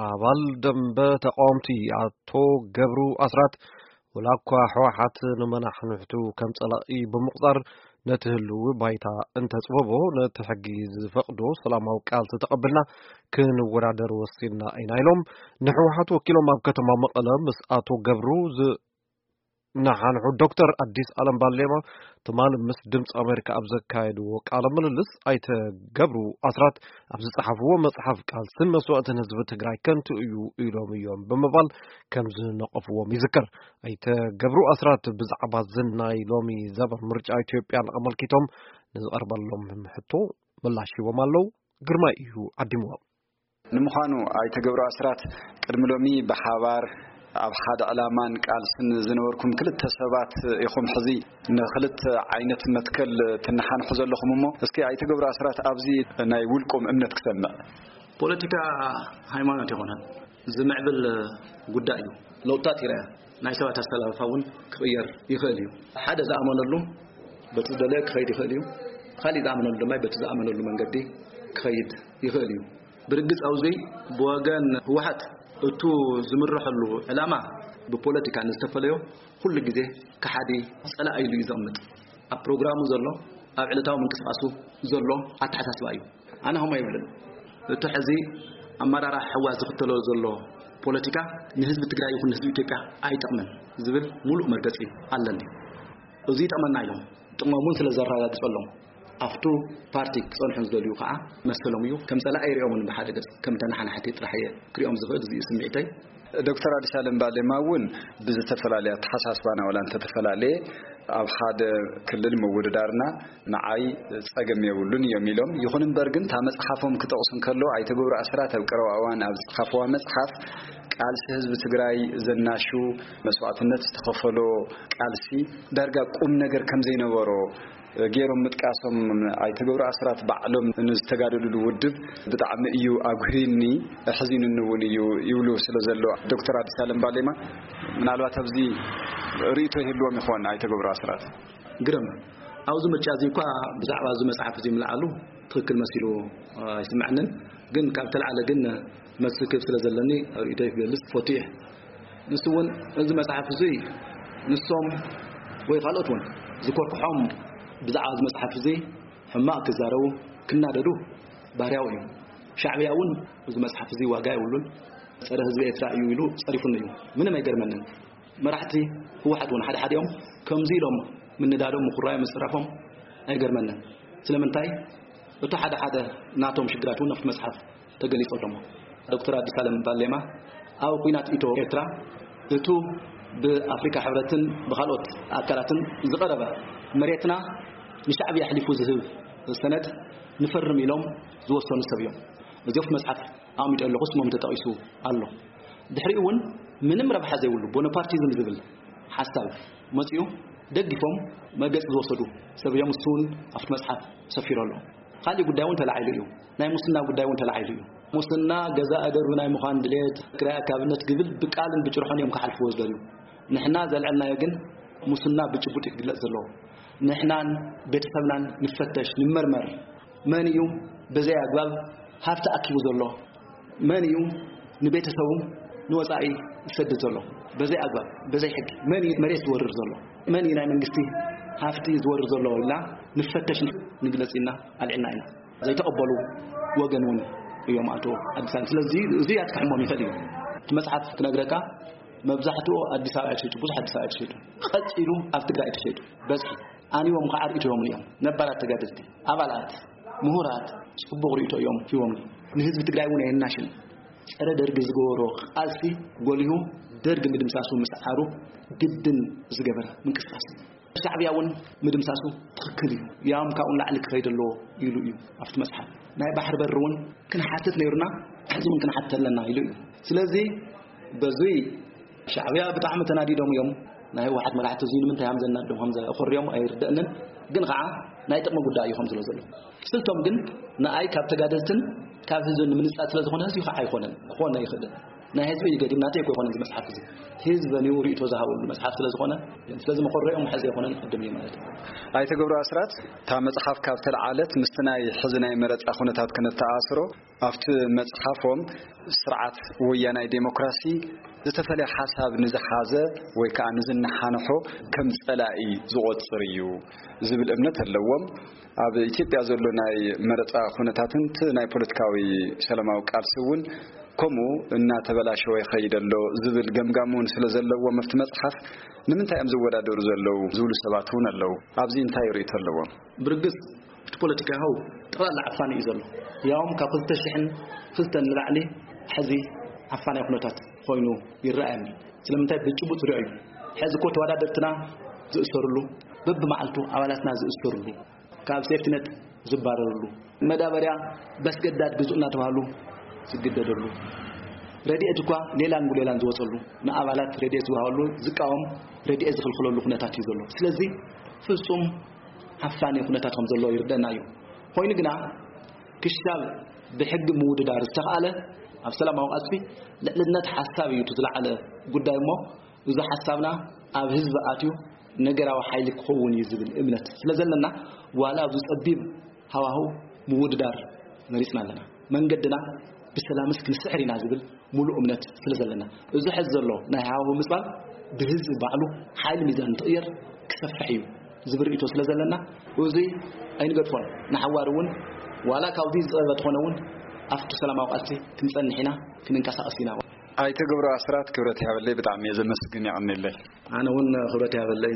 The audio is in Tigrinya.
ኣባል ደንበ ተቃወምቲ ኣቶ ገብሩ ኣስራት፣ ወላ እኳ ህወሓት ንመናሕንሕቱ ከም ጸላኢ ብምቑጻር ነቲ ህልዊ ባይታ እንተጽበቦ፣ ነቲ ሕጊ ዝፈቕዶ ሰላማዊ ቃልሲ ተቐብልና ክንወዳደር ወሲንና ኢና ኢሎም። ንህወሓት ወኪሎም ኣብ ከተማ መቐለ ምስ ኣቶ ገብሩ ዝ-፣ ንሓንሑ ዶክተር ኣዲስ ኣለም ባሌማ ትማል ምስ ድምፂ ኣሜሪካ ኣብ ዘካየድዎ ቃለ ምልልስ፣ ኣይተ ገብሩ ኣስራት ኣብ ዝጸሓፍዎ መጽሓፍ ቃልስን መስዋእትን ህዝቢ ትግራይ ከንቱ እዩ ኢሎም እዮም ብምባል ከም ዝነቐፍዎም ይዝከር። ኣይተ ገብሩ ኣስራት ብዛዕባ እዚ ናይ ሎሚ ዘበን ምርጫ ኢትዮጵያን ኣመልኪቶም ንዝቐርበሎም ሕቶ ምላሽ ሂቦም ኣለዉ። ግርማይ እዩ ዓዲምዎም። ንምዃኑ ኣይተ ገብሩ ኣስራት፣ ቅድሚ ሎሚ ብሓባር ኣብ ሓደ ዕላማን ቃልስን ዝነበርኩም ክልተ ሰባት ኢኹም፣ ሕዚ ንክልተ ዓይነት መትከል ትነሓንሑ ዘለኹም። እሞ እስኪ ኣይተ ገብሩ ኣስራት ኣብዚ ናይ ውልቆም እምነት ክሰምዕ። ፖለቲካ ሃይማኖት ይኾነን ዝምዕብል ጉዳይ እዩ። ለውጥታት ይረአ፣ ናይ ሰባት ኣሰላልፋ እውን ክቕየር ይኽእል እዩ። ሓደ ዝኣመነሉ በቲ ዝደለየ ክኸይድ ይኽእል እዩ። ካሊእ ዝኣመነሉ ድማ በቲ ዝኣመነሉ መንገዲ ክኸይድ ይኽእል እዩ። ብርግጽ ኣብዚ ብወገን ህወሓት እቱ ዝምርሐሉ ዕላማ ብፖለቲካ ንዝተፈለዮ ኩሉ ግዜ ከሓዲ ጸላኢ ኢሉ እዩ ዘቕምጥ። ኣብ ፕሮግራሙ ዘሎ፣ ኣብ ዕለታዊ ምንቅስቃሱ ዘሎ ኣተሓሳስባ እዩ። ኣነ ከምኡ ኣይብልን። እቲ ሕዚ ኣመራርሓ ህወሓት ዝኽተሎ ዘሎ ፖለቲካ ንህዝቢ ትግራይ ይኹን ንህዝቢ ኢትዮጵያ ኣይጠቕምን ዝብል ሙሉእ መርገጺ ኣለኒ። እዚ ይጠቕመና ኢሎም ጥቕሞም እውን ስለ ዘረጋግጸሎም ኣብቱ ፓርቲ ክጸንሑ ዝደልዩ ከዓ መሰሎም እዩ። ከም ጸላኢ ኣይሪኦምን፣ ብሓደ ገጽ ከም ተነሓናሕቲ ጥራሕ እየ ክሪኦም ዝኽእል። እዚ እዩ ስምዒተይ። ዶክተር ኣዲስ ኣለም ባሌማ እውን ብዝተፈላለየ ኣተሓሳስባና ዋላ እንተተፈላለየ፣ ኣብ ሓደ ክልል ምውድዳርና ንዓይ ጸገም የብሉን እዮም ኢሎም። ይኹን እምበር ግን እታ መጽሓፎም ክጠቕሱ እንከሎ፣ ኣይተ ገብሩ ኣስራት ኣብ ቀረባ እዋን ኣብ ዝጸሓፍዋ መጽሓፍ፣ ቃልሲ ህዝቢ ትግራይ ዘናሹ መስዋእትነት ዝተኸፈሎ ቃልሲ ዳርጋ ቁም ነገር ከም ዘይነበሮ ገይሮም ምጥቃሶም፣ ኣይተ ገብሩ ኣስራት ባዕሎም ንዝተጋደሉሉ ውድብ ብጣዕሚ እዩ ኣጉህዩኒ፣ ኣሕዚኑኒ እውን እዩ ይብሉ ስለ ዘሎ ዶክተር ኣዲስ ኣለም ባሌማ፣ ምናልባት ኣብዚ ርእይቶ ይህልዎም ይኾን ኣይተ ገብሩ ኣስራት? ግርም፣ ኣብዚ ምርጫ እዚ እኳ ብዛዕባ እዚ መጽሓፍ እዚ ምልዓሉ ትኽክል መሲሉ ኣይስምዐንን። ግን ካብ ተለዓለ ግን መልሲ ክህብ ስለ ዘለኒ ርእይቶይ ክገልጽ ፈትየ። ንሱ እውን እዚ መጽሓፍ እዚ ንሶም ወይ ካልኦት እውን ዝኮርክሖም ብዛዕባ እዚ መጽሓፍ እዚ ሕማቕ ክዛረቡ ክናደዱ ባህርያዊ እዩ። ሻዕብያ እውን እዚ መጽሓፍ እዚ ዋጋ የብሉን፣ ጸረ ህዝቢ ኤርትራ እዩ ኢሉ ጸሪፉኒ እዩ። ምንም ኣይገርመንን። መራሕቲ ህወሓት እውን ሓደ ሓዲኦም ከምዚ ኢሎም ምንዳዶም፣ ምኹራዮም፣ ምጽራፎም ኣይገርመንን። ስለምንታይ? እቱ ሓደ ሓደ ናቶም ሽግራት እውን ኣብቲ መጽሓፍ ተገሊጹ ኣሎ። ዶክተር ኣዲስ ኣለም ባሌማ ኣብ ኩናት ኢትዮ ኤርትራ እቱ ብኣፍሪካ ሕብረትን ብካልኦት ኣካላትን ዝቐረበ መሬትና ንሻዕብያ ኣሕሊፉ ዝህብ ሰነድ ንፈርም ኢሎም ዝወሰኑ ሰብ እዮም። እዚ ኣብቲ መጽሓፍ ኣቐሚጠ ኣለኹ፣ ስሞም ተጠቒሱ ኣሎ። ድሕሪኡ እውን ምንም ረብሓ ዘይብሉ ቦነፓርቲዝም ዝብል ሓሳብ መጺኡ፣ ደጊፎም መገጽ ዝወሰዱ ሰብ እዮም። እሱ እውን ኣብቲ መጽሓፍ ሰፊሩ ኣሎ። ካሊእ ጉዳይ እውን ተላዒሉ እዩ። ናይ ሙስና ጉዳይ እውን ተላዒሉ እዩ። ሙስና ገዛ ኣደርቢ ናይ ምዃን ድሌት፣ ክራይ ኣካብነት ግብል ብቃልን ብጭርሖን እዮም ክሓልፍዎ ዝደልዩ። ንሕና ዘልዐልናዮ ግን ሙስና ብጭቡጥ እዩ ክግለጽ ዘለዎ። ንሕናን ቤተሰብናን ንፈተሽ፣ ንመርመር። መን እዩ በዘይ ኣግባብ ሃብቲ ኣኪቡ ዘሎ? መን እዩ ንቤተሰቡ ንወጻኢ ዝሰድድ ዘሎ? በዘይ ኣግባብ፣ በዘይ ሕጊ መን እዩ መሬት ዝወርር ዘሎ? መን እዩ ናይ መንግስቲ ሃፍቲ ዝወርር ዘሎ? ኢልና ንፈተሽ፣ ንግለጽ ኢልና ኣልዒልና ኢና። ዘይተቐበሉ ወገን እውን እዮም ኣቶ ኣዲስ ኣለም። ስለዚ እዚ ኣትክሕሞም ይኽእል እዩ። እቲ መጽሓፍ ክነግረካ፣ መብዛሕትኡ ኣዲስ ኣበባ እዩ ተሸይጡ፣ ብዙሕ ኣዲስ ኣበባ እዩ ተሸይጡ። ቀጺሉ ኣብ ትግራይ እዩ ተሸይጡ። በዝሒ ኣንዎም ከዓ ርእይቶዮምን እዮም። ነባራት ተጋደልቲ፣ ኣባላት፣ ምሁራት ጽቡቕ ርእይቶ እዮም ሂቦምኒ። ንህዝቢ ትግራይ እውን ኣየናሽን። ጸረ ደርጊ ዝገበሮ ቃልሲ ጎሊሁ፣ ደርጊ ምድምሳሱ ምስዓሩ ግድን ዝገበረ ምንቅስቃስ እዩ። ሻዕብያ እውን ምድምሳሱ ትኽክል እዩ። ያም ካብኡ ንላዕሊ ክኸይድ ኣለዎ ኢሉ እዩ ኣብቲ መጽሓፍ። ናይ ባሕሪ በሪ እውን ክንሓትት ነይሩና፣ ሕዚ እውን ክንሓትት ኣለና ኢሉ እዩ። ስለዚ በዙይ ሻዕብያ ብጣዕሚ ተናዲዶም እዮም። ናይ ህወሓት መራሕቲ እዙይ ንምንታይ ሃም ዘናድዶም ሃም ዘኾርዮም ኣይርደእንን። ግን ከዓ ናይ ጥቕሚ ጉዳይ እዩ ከም ዝሎ ዘሎ። ስልቶም ግን ንኣይ ካብ ተጋደልትን ካብ ህዝብን ንምንጻል ስለ ዝኾነ ህዝቢ ከዓ ኣይኾነን፣ ክኾን ኣይኽእልን። ናይ ህዝቢ እዩ ገዲም፣ ናተይ እኮ ይኮነ እዚ መጽሓፍ እዚ። ህዝቢ በኒው ርእይቶ ዝሃበሉ መጽሓፍ ስለ ዝኾነ፣ ስለዚ መኾረኦም ሕዚ ኣይኮነን፣ ቅድም እዩ ማለት እዩ። ኣይተ ገብሩ ኣስራት፣ እታ መጽሓፍ ካብ ተለዓለት ምስቲ ናይ ሕዚ ናይ መረጻ ኩነታት ክነተኣስሮ፣ ኣብቲ መጽሓፎም ስርዓት ወያናይ ዴሞክራሲ ዝተፈለየ ሓሳብ ንዝሓዘ ወይ ከዓ ንዝነሓንሖ ከም ጸላኢ ዝቖጽር እዩ ዝብል እምነት ኣለዎም። ኣብ ኢትዮጵያ ዘሎ ናይ መረጻ ኩነታትን እቲ ናይ ፖለቲካዊ ሰላማዊ ቃልሲ እውን ከምኡ እናተበላሸወ ይኸይድ ኣሎ ዝብል ገምጋም እውን ስለ ዘለዎም ኣብቲ መጽሓፍ ንምንታይ እዮም ዝወዳደሩ ዘለዉ ዝብሉ ሰባት እውን ኣለዉ። ኣብዚ እንታይ ርእይቶ ኣለዎም? ብርግጽ እቲ ፖለቲካ ይኸው ጠቕላላ ዓፋኒ እዩ ዘሎ። ያውም ካብ ክልተ ሽሕን ክልተን ንላዕሊ ሕዚ ዓፋናይ ኩነታት ኮይኑ ይረኣየኒ። ስለምንታይ ብጭቡጥ ዝሪኦ እዩ። ሕዚ እኮ ተወዳደርትና ዝእሰርሉ፣ በብመዓልቱ ኣባላትና ዝእሰርሉ፣ ካብ ሴፍትነት ዝባረርሉ፣ መዳበርያ በስገዳድ ግዙእ እናተባህሉ ዝግደደሉ፣ ረድኤት እኳ ሌላን ጉሌላን ዝወፀሉ፣ ንኣባላት ረድኤት ዝወሃበሉ ዝቃወም ረድኤት ዝኽልክለሉ ኩነታት እዩ ዘሎ። ስለዚ ፍጹም ዓፋኒ ኩነታት ከም ዘሎ ይርደና እዩ። ኮይኑ ግና ክሻብ ብሕጊ ምውድዳር ዝተኽኣለ ኣብ ሰላማዊ ቃልሲ ልዕልነት ሓሳብ እዩ እቲ ዝለዓለ ጉዳይ እሞ፣ እዚ ሓሳብና ኣብ ህዝቢ ኣትዩ ነገራዊ ሓይሊ ክኸውን እዩ ዝብል እምነት ስለ ዘለና፣ ዋላ ኣብዚ ጸቢብ ሃዋህው ምውድዳር መሪጽና ኣለና። መንገድና ብሰላምስ ክንስዕር ኢና ዝብል ሙሉእ እምነት ስለ ዘለና፣ እዚ ሕዚ ዘሎ ናይ ሃዋህው ምጽባል ብህዝቢ ባዕሉ ሓይሊ ሚዛን እንትቕየር ክሰፍሕ እዩ ዝብል ርእይቶ ስለ ዘለና፣ እዚ ኣይንገድፎን። ንሓዋር እውን ዋላ ካብዚ ዝጸበበ ተኾነ እውን ኣብቲ ሰላማዊ ቃልሲ ክንጸንሕ ኢና፣ ክንንቀሳቐስ ኢና። ኣይተ ገብሩ ኣስራት፣ ክብረት ይሃበለይ፣ ብጣዕሚ እየ ዘመስግን፣ የቐንየለይ። ኣነ እውን ክብረት ይሃበለይ።